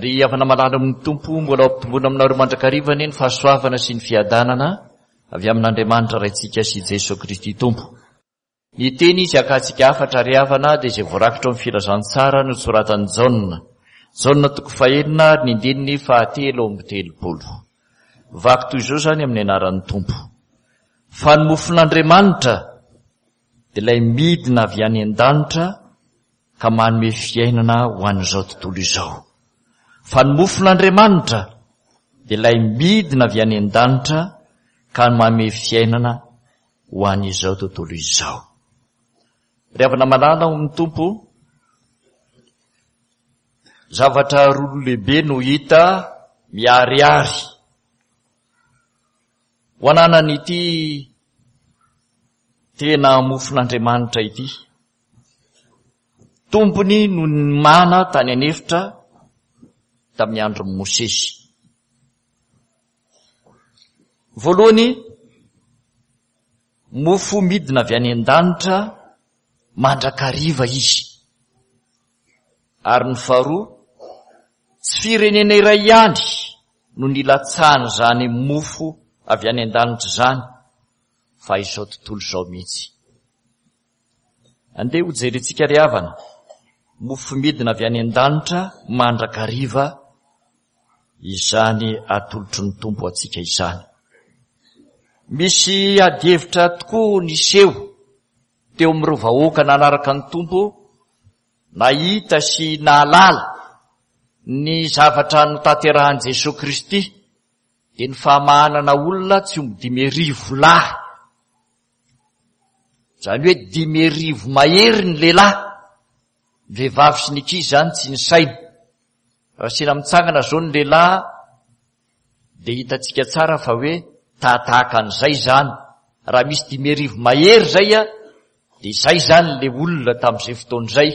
Ry havana malala amin'ny Tompo, mbola ho ampitomboina aminareo mandrakariva anie ny fahasoavana sy ny fiadanana avy amin'Andriamanitra Raintsika sy Jesoa Kristy Tompo. Ny teny izy hakantsika hafatra ry havana dia izay voarakitra ao amin'ny filazantsara nosoratan'i Jaona. Jaona toko fahenina ary ny andininy fahatelo amby telopolo. Vaky toy izao izany amin'ny anaran'ny Tompo. Fa ny mofon'Andriamanitra dia ilay midina avy any an-danitra ka manome fiainana ho an'izao tontolo izao. Fa ny mofon'Andriamanitra dia ilay midina avy any an-danitra ka manome fiainana ho an'izao tontolo izao. Ry havana malala ao amin'ny Tompo, zavatra roa lehibe no hita miharihary ho ananan'ity tena mofon'Andriamanitra ity. Tompony no nimana tany an'efitra tamin'ny andron'i Mosesy. Voalohany, mofo midina avy any an-danitra mandrakariva izy. Ary ny faharoa, tsy firenena iray ihany no nilatsahan'izany mofo avy any an-danitra izany, fa izao tontolo izao mihitsy. Andeha hojerentsika ry havana, mofo midina avy any an-danitra mandrakariva izany atolotry ny Tompo antsika izany. Misy adihevitra tokoa niseho teo amin'ireo vahoaka nanaraka ny Tompo, nahita sy nahalala ny zavatra notanterahan'i Jesoa Kristy, dia ny famahanana olona tsy omby 5000 lahy. Izany hoe 5000 mahery ny lehilahy, ny vehivavy sy ny ankizy izany tsy nisaina. Raha asiana mitsangana izao ny lehilahy dia hitantsika tsara fa hoe tahatahaka an'izay izany. Raha misy 5000 mahery izay dia izay izany ilay olona tamin'izay fotoana izay.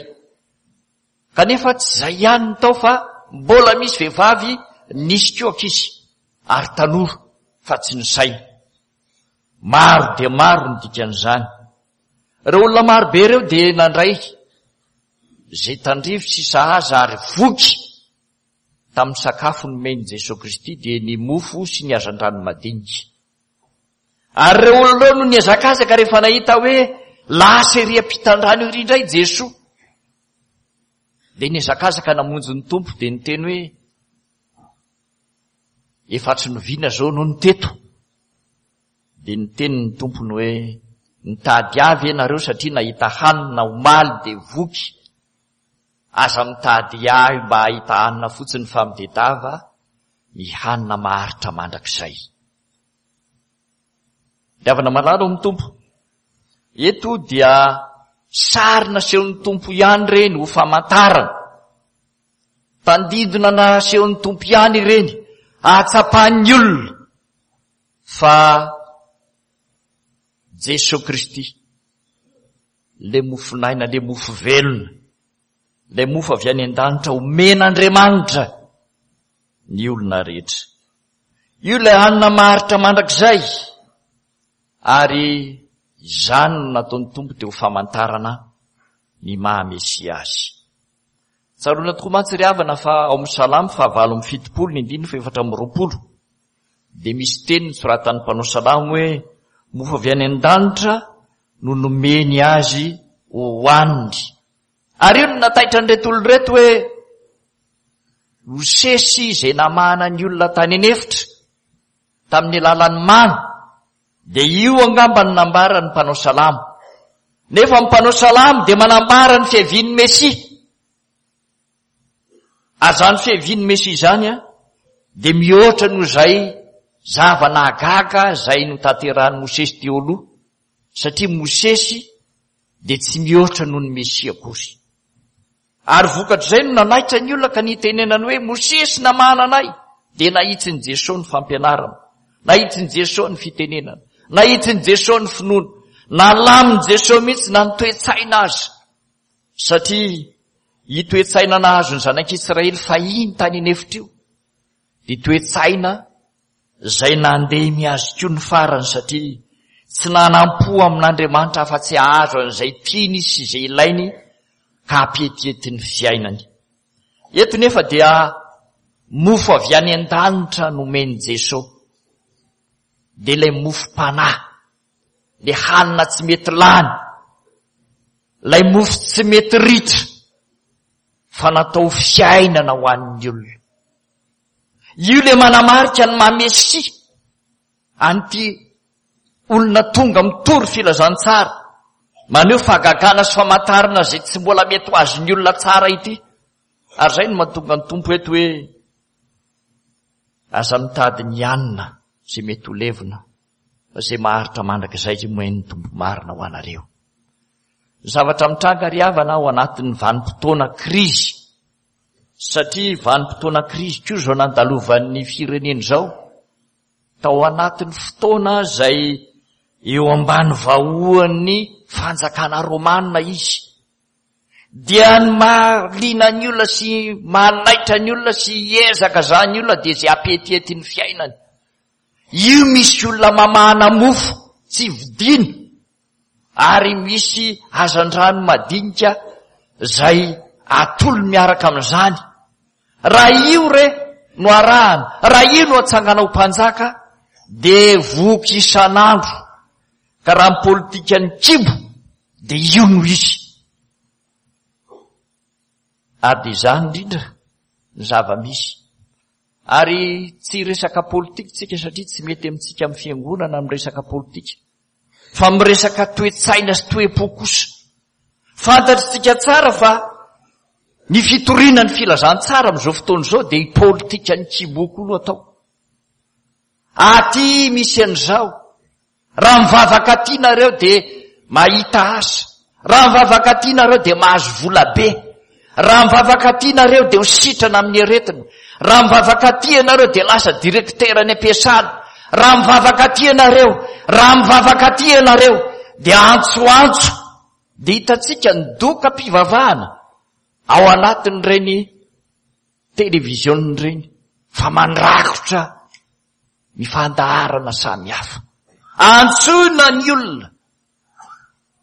Kanefa tsy izay ihany ny tao fa mbola misy vehivavy nisy koa ankizy ary tanora fa tsy nisaina. Maro dia maro ny dikan'izany. Ireo olona maro be ireo dia nandray izay tandrify sy sahaza ary voky tamin'ny sakafo nomen'i Jesoa Kristy dia ny mofo sy ny hazandrano madinika. Ary ireo olona ireo no nihazakazaka rehefa nahita hoe lasa ery am-pitandrano ery indray Jesoa. Dia nihazakazaka namonjy ny Tompo dia niteny hoe Efa tsy noviana zao no ny teto. Dia niteny ny tompony hoe, Nitady ahy ve nareo satria nahita hanina omaly dia voky? Aza mitady ahy mba hahita hanina fotsiny fa mitedava ny hanina maharitra mandrakizay. Ry havana malala ao amin'ny Tompo, eto dia sary nasehon'ny Tompo ihany ireny ho famantarana. Tandindona nasehon'ny Tompo ihany ireny, ahatsapan'ny olona fa Jesoa Kristy, ilay mofon'aina, ilay mofo velona, ilay mofo avy any an-danitra omen'Andriamanitra ny olona rehetra. Io ilay hanina maharitra mandrakizay, ary izany no nataon'ny Tompo teo famantarana ny maha Mesia azy. Tsaroana tokoa mantsy ry havana fa ao amin'ny Salamo faha-78 ny andininy faha-24 dia misy teny nosoratan'ny mpanao salamo hoe mofo avy any an-danitra no nomeny azy hohaniny. Ary io no nataitra an'ireto olona ireto hoe Mosesy izay namahana ny olona tany an'efitra tamin'ny alalan'ny mana Dia io angamba no nambaran'ny mpanao salamo. Nefa ny mpanao salamo dia manambara ny fiavian'ny Mesia. Ary izany fiavian'ny Mesia izany an, dia mihoatra noho izay zava-nahagaga izay notanterahin'i Mosesy teo aloha, satria Mosesy dia tsy mihoatra noho ny Mesia akory. Ary vokatr'izay no nanaitra ny olona ka nitenenany hoe, Mosesy namahana anay! Dia nahitsin'i Jesoa ny fampianarana, nahitsin'i Jesoa ny fitenenana, nahitsin'i Jesoa ny finoana, nalamin'i Jesoa mihitsy na ny toe-tsaina aza. Satria io toe-tsaina nahazo ny zanak'Israely fahiny tany an'efitra io, dia toe-tsaina izay nandemy azy koa ny farany satria tsy nanam-po amin'Andriamanitra afa-tsy hahazo an'izay tiany sy izay ilainy ka hampietiety ny fiainany. Eto nefa dia Mofo avy any an-danitra nomen'i Jeso. Dia ilay mofom-panahy, ilay hanina tsy mety lany, ilay mofo tsy mety ritra, fa natao fiainana ho an'ny olona. Io ilay manamarika ny maha Mesia an'ity olona tonga mitory filazantsara, maneho fahagagana sy famantarana izay tsy mbola mety ho azon'ny olona tsara ity. Ary izay no mahatonga ny Tompo eto hoe aza mitady ny hanina izay mety ho levona fa izay maharitra mandrakizay izay omen'ny Tompo marina ho anareo. Ny zavatra mitranga ry havana ao anatin'ny vanim-potoana krizy, satria vanim-potoana krizy koa izao nandalovan'ny firenena izao, tao anatin'ny fotoana izay eo ambany vahoan'ny fanjakana romana izy. Dia ny mahaliana ny olona sy mahanaitra ny olona sy hiezaka zany olona dia izay hampetiety ny fiainany. Io misy olona mamahana mofo tsy vidiana ary misy hazandrano madinika izay atolo miaraka amin'izany. Raha io re no arahana, raha io no atsangana ho mpanjaka dia voky isan'andro. Ka raha ny politikan'ny kibo dia io no izy. Ary dia izany indrindra ny zava-misy. Ary tsy resaka politika tsika satria tsy mety amintsika amin'ny fiangonana miresaka politika. Fa miresaka toe-tsaina sy toe-po kosa. Fantatritsika tsara fa ny fitoriana ny filazantsara amin'izao fotoana izao dia i politikan'ny kibo koa no atao. Aty misy an'izao. Raha mivavaka aty nareo dia mahita asa. Raha mivavaka aty nareo dia mahazo vola be. Raha mivavaka aty nareo dia ho sitrana amin'ny aretina. Raha mivavaka aty ianareo dia lasa directeur any am-piasana. Raha mivavaka aty ianareo, raha mivavaka aty ianareo dia antsoantso. Dia hitantsika ny dokam-pivavahana ao anatin'ireny televiziona ireny fa mandrakotra ny fandaharana samihafa. Antsoina ny olona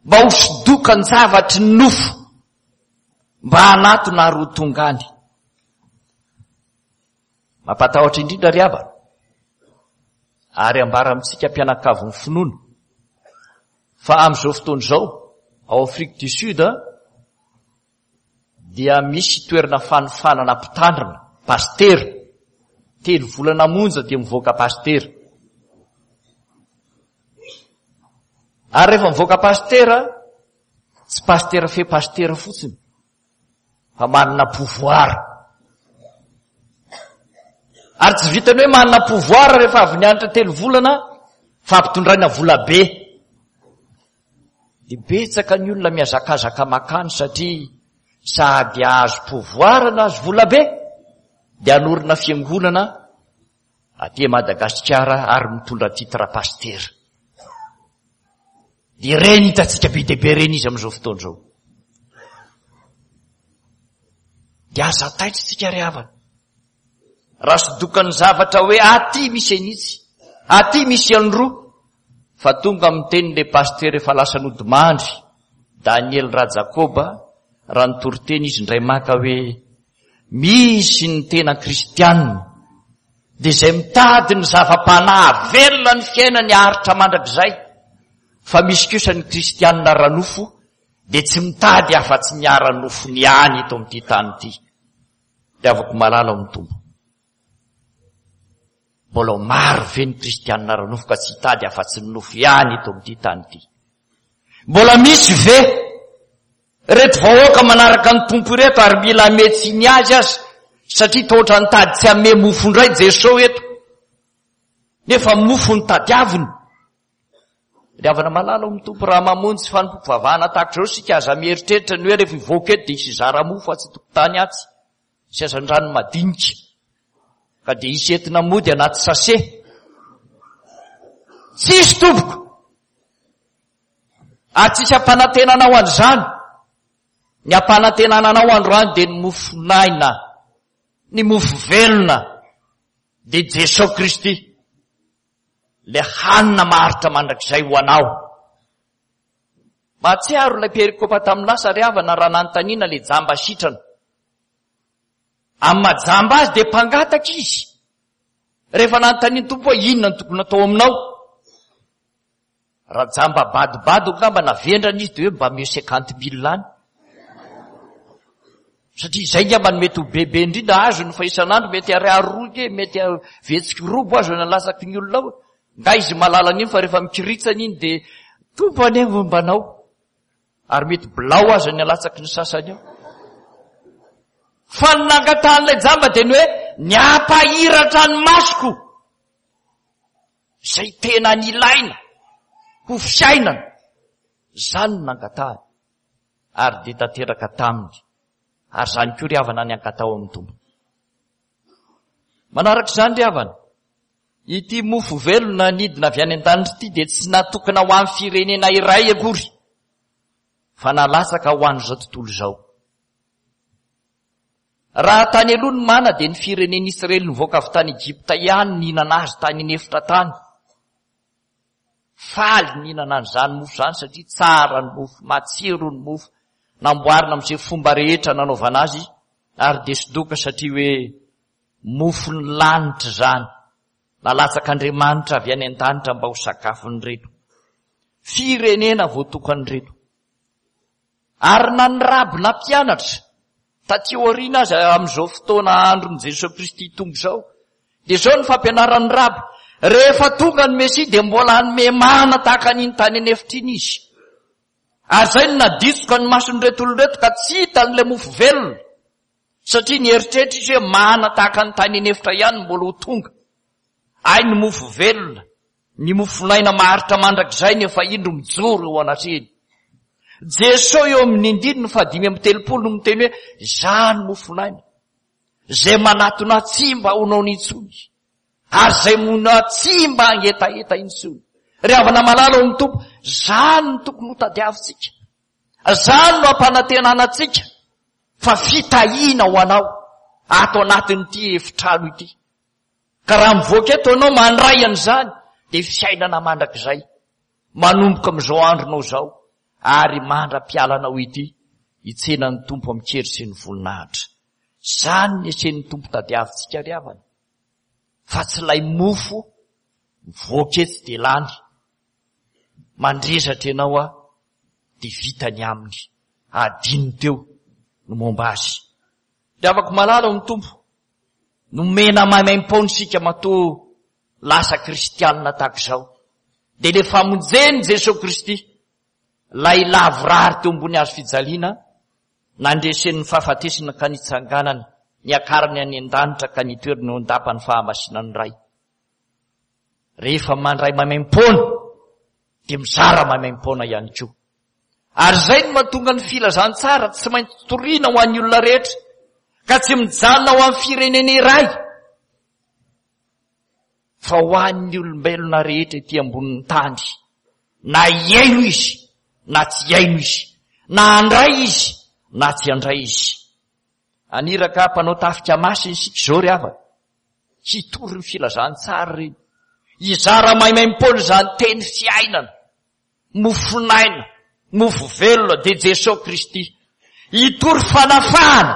mba ho sodokan-javatry ny nofo, mba hanatona ary ho tonga any. Mampatahotra indrindra ry havana, ary ambara amintsika mpianakavin'ny finoana, fa amin'izao fotoana izao, ao Afrique du Sud, dia misy toerana fanofanana mpitandrina, pasitera, telo volana monja dia mivoaka pasitera. Ary rehefa mivoaka pasitera, tsy pasitera fe pasitera fotsiny, fa manana pouvoir. Ary tsy vitany hoe manana pouvoir rehefa avy nianatra telo volana, fa ampitondraina vola be. Dia betsaka ny olona mihazakazaka makany satria sady azo pouvoir no azo vola be dia hanorina fiangonana aty Madagasikara ary mitondra titre pasitera. Dia ireny hitantsika be dia be ireny izy amin'izao fotoana izao. Dia aza taitra isika ry havana. Raha sodokan'ny zavatra hoe aty misy an'itsy, aty misy an'roa, fa tonga miteny le pasitera efa lasa nodimandry, Daniel Rajakoba, raha nitory teny izy indray maka hoe misy ny tena kristianina, dia izay mitady ny zava-panahy hahavelona ny fiainany haharitra mandrakizay, fa misy kosa ny kristianina ara-nofo dia tsy mitady afa-tsy ny ara-nofony ihany eto amin'ity tany ity. Ry havako malala ao amin'ny Tompo, mbola ho maro ve ny kristianina ara-nofo ka tsy hitady afa-tsy ny nofo ihany eto amin'ity tany ity? Mbola misy ve ireto vahoaka manaraka ny Tompo ireto ary mila hamehy tsiny azy aza satria toa ohatran'ny tady tsy hamehy mofo indray Jesoa eto nefa mofo no tadiaviny? Ry havana malala ao amin'ny Tompo, raha mamonjy fanompoam-pivavahana tahaka izao isika, aza mieritreritra ny hoe rehefa hivoaka eto dia hisy hizara mofo atsy an-tokotany atsy sy hazandrano madinika, ka dia hisy entina mody anaty sase. Tsisy tompoko! Ary tsisy ampanantenana ho an'izany. Ny ampanantenana anao androany dia ny mofon'aina, ny mofo velona, dia Jesoa Kristy. Ilay hanina maharitra mandrakizay ho anao. Mahatsiaro ilay perikopa tamin'ny lasa ry havana raha nanontaniana ilay jamba sitrana. Amin'ny maha jamba azy dia mpangataka izy. Rehefa nanontanian'ny Tompo hoe inona no tokony atao aminao? Raha jamba badobado angamba na vendrana izy dia hoe mba omeo cinquante mille any. Satria izay angamba no mety ho bebe indrindra azony fa isan'andro mety ariary roa ke, mety vetsiky robo azony alatsaky ny olona ao. Nga izy mahalala an'iny fa rehefa mikiritsana iny dia Tompo anie momba anao. Ary mety bilao aza ny alatsaky ny sasany ao. Fa ny nangatahan'ilay jamba dia ny hoe ny hampahiratra ny masoko. Izay tena nilaina ho fiainana. Izany no nangatahany. Ary dia tanteraka taminy. Ary izany koa ry havana ny ankatao amin'ny Tompo. Manaraka izany ry havana, ity mofo velona nidina avy any an-danitra ity dia tsy natokana ho an'ny firenena iray akory, fa nalatsaka ho an'izao tontolo izao. Raha tany aloha ny mana dia ny firenen'Israely nivoaka avy tany Egypta ihany nihinana azy tany an'efitra tany. Faly nihinana an'izany mofo izany satria tsara ny mofo, matsiro ny mofo, namboarina amin'izay fomba rehetra nanaovana azy ary dia sodoka satria hoe mofon'ny lanitra izany, nalatsak'Andriamanitra avy any an-danitra mba ho sakafon'ireto firenena voatokan'ireto. Ary na ny raby nampianatra, taty aoriana aza amin'izao fotoana andron'i Jesoa Kristy Tompo izao, dia izao ny fampianaran'ny raby, rehefa tonga ny Mesia dia mbola hanome mana tahaka an'iny tany an'efitra iny izy. Ary izay no naditsoka ny mason'ireto olona ireto ka tsy hitany ilay mofo velona. Satria nieritreritra izy hoe mana tahaka ny tany an'efitra ihany no mbola ho tonga. Hay ny mofo velona, ny mofon'aina maharitra mandrakizay no efa indro mijoro eo anatrehiny. Jesoa eo amin'ny andininy fahadimy amby telopolo no miteny hoe, Izaho no mofon'aina, izay manatona ahy tsy mba ho noana intsony, ary izay mino ahy tsy mba hangetaheta intsony. Ry havana malala ao amin'ny Tompo, izany no tokony hotadiavintsika. Izany no ampanantenana antsika fa fitahiana ho anao ato anatin'ity efitrano ity. Ka raha mivoaka eto ianao mandray an'izany dia fiainana mandrakizay manomboka amin'izao andronao izao ary mandra-pialanao ity hitsena ny Tompo amin-kery sy ny voninahitra. Izany ny esen'ny Tompo tadiavintsika ry havana fa tsy ilay mofo mivoaka etsy dia lany. Mandrezatra ianao aho dia vita ny aminy. Adino teo ny momba azy. Ry havako malala ao amin'ny Tompo, nomena maimaim-poana isika matoa lasa kristianina tahaka izao. Dia ilay famonjen'i Jesoa Kristy, ilay lavorary teo ambony hazo fijaliana, nandresen'ny fahafatesana ka nitsanganany, niakarany any an-danitra ka nitoerany eo an-dapan'ny fahamasinan'ny Ray. Rehefa mandray maimaim-poana, dia mizara maimaim-poana ihany koa. Ary izay no mahatonga ny filazantsara tsy maintsy toriana ho an'ny olona rehetra, ka tsy mijanona ho an'ny firenena iray, fa ho an'ny olombelona rehetra ety ambonin'ny tany, na hihaino izy na tsy hihaino izy, na handray izy na tsy handray izy. Haniraka mpanao tafika masina isika izao ry havana, hitory ny filazantsara ireny, hizara maimaim-poana izany teny fiainana, mofon'aina, mofo velona dia Jesoa Kristy. Hitory fanafahana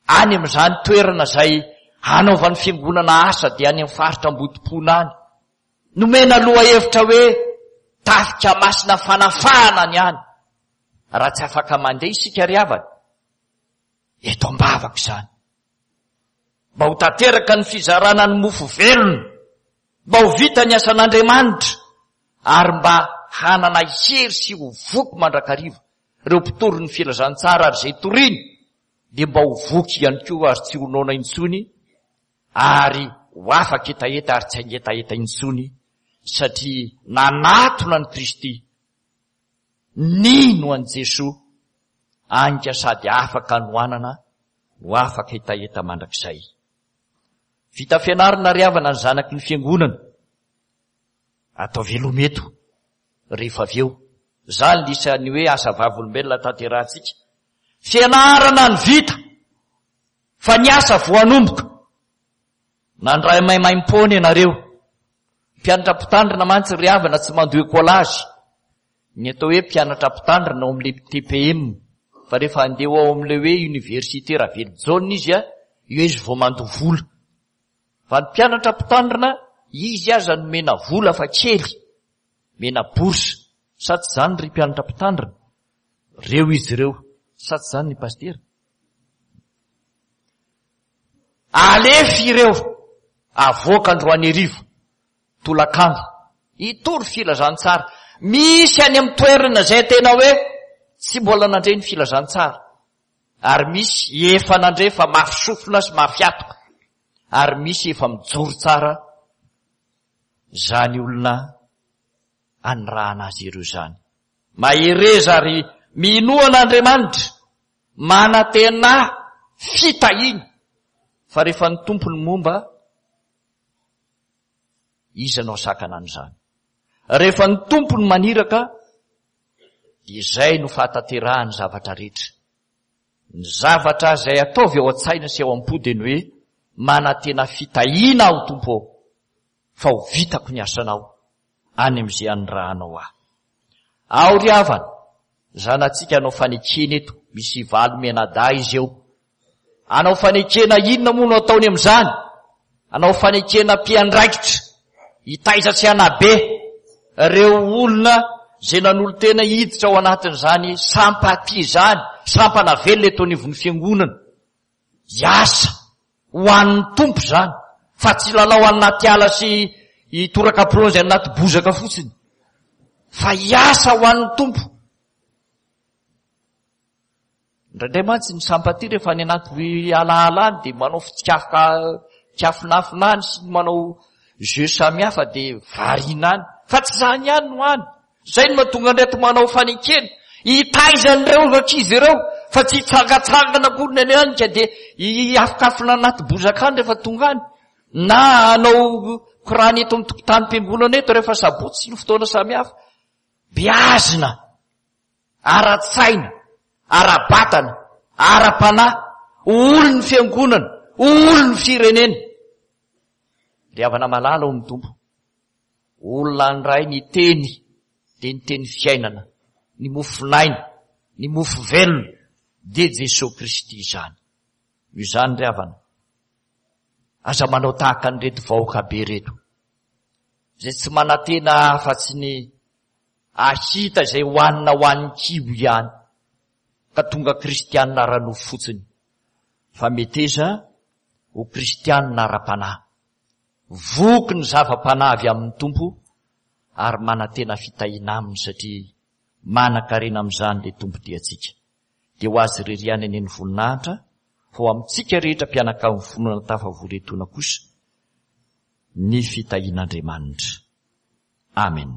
any amin'izany toerana izay hanaovan'ny fiangonana asa dia any amin'ny faritra Ambodipona any. Nomena lohahevitra hoe tafika masina fanafahana ny any. Raha tsy afaka mandeha isika ry havana, eto am-bavaka izany. Mba ho tanteraka ny fizarana ny mofo velona, mba ho vita ny asan'Andriamanitra ary mba hanana hery sy ho voky mandrakariva ireo mpitory ny filazantsara ary izay toriny dia mba ho voky ihany koa ary tsy ho noana intsony ary ho afaka hetaheta ary tsy hangetaheta intsony satria nanatona an'i Kristy, nino an'i Jesoa, anka sady afaka hanoanana no afaka hetaheta mandrakizay. Vita fianarana ry havana ny zanaky ny fiangonana. Atao veloma eto rehefa avy eo. Izany ny isan'ny hoe asa vavolombelona tanterahantsika. Fianarana ny vita fa ny asa vao hanomboka. Nandray maimaimpoana ianareo. Mpianatra mpitandrina mantsy ry havana tsy mandoa écolage. Ny atao hoe mpianatra mpitandrina ao amin'ilay TPM. Fa rehefa handeha ho ao amin'ilay hoe université Ravelojaona izy a, Eo izy vao mandoa vola. Fa ny mpianatra mpitandrina, izy aza nomena vola fa kely, mena bourse. Sa tsy izany ry mpianatra mpitandrina? Reo izy ireo. Sa tsy izany ny pasitera? Alefy ireo, avoaka androany hariva, tolakandro, hitory filazantsara. Misy any amin'ny toerana izay tena hoe tsy mbola nandre ny filazantsara. Ary misy efa nandre fa mafy sofina sy mafy hatoka. Ary misy efa mijoro tsara izany olona anirahana azy ireo izany. Mahereza ary minoa an'Andriamanitra, manantena fitahiana, fa rehefa ny Tompo no momba, iza no hasakana an'izany? Rehefa ny Tompo no maniraka, dia izay no fahatanterahan'ny zavatra rehetra. Ny zavatra izay ataovy ao an-tsaina sy ao am-po dia ny hoe, manantena fitahiana aho Tompo ô, fa ho vitako ny asanao any amin'izay anirahanao ahy. Ao ry havana, zanatsika hanao fanekena eto, misy valo mianadahy izy eo. Hanao fanekena inona moa no ataony amin'izany? Hanao fanekena mpiandraikitra, hitaiza sy hanabe ireo olona izay nanolo-tena hiditra ao anatin'izany sampatia izany, sampana velona eto anivon'ny fiangonana. Hiasa ho an'ny Tompo izany, fa tsy hilalao any anaty ala sy hitoraka plonge any anaty bozaka fotsiny, fa hiasa ho an'ny Tompo. Indraindray mantsy ny sampatia rehefa any anaty alaala any dia manao fitsikafika kiafinafina any sy manao jeu samihafa dia variana any. Fa tsy izany ihany no any. Izay no mahatonga an'ireto manao fanekena. Hitaiza an'ireo ankizy ireo fa tsy hitsangatsangana akory ny any any ka dia hiafokafona anaty bozaka any rehefa tonga any. Na hanao korana eto amin'ny tokotanim-piangonana eto rehefa sabotsy sy ny fotoana samihafa. Beazina ara-tsaina, ara-batana, ara-panahy, ho olon'ny fiangonana, ho olon'ny firenena. Ry havana malala ao amin'ny Tompo, olona handray ny teny dia ny teny fiainana, ny mofon'aina, ny mofo velona, dia Jesoa Kristy izany. Noho izany ry havana, aza manao tahaka an'ireto vahoaka be ireto, izay tsy manantena afa-tsy ny ahita izay hohanina ho an'ny kibo ihany, ka tonga kristianina ara-nofo fotsiny, fa meteza ho kristianina ara-panahy. Voky ny zava-panahy avy amin'ny Tompo ary manantena fitahiana Aminy satria manan-karena amin'izany ilay Tompo tia antsika. Dia ho Azy irery ihany anie ny voninahitra fa ho amintsika rehetra mpianakavin'ny finoana tafavory etoana kosa ny fitahian'Andriamanitra. Amen.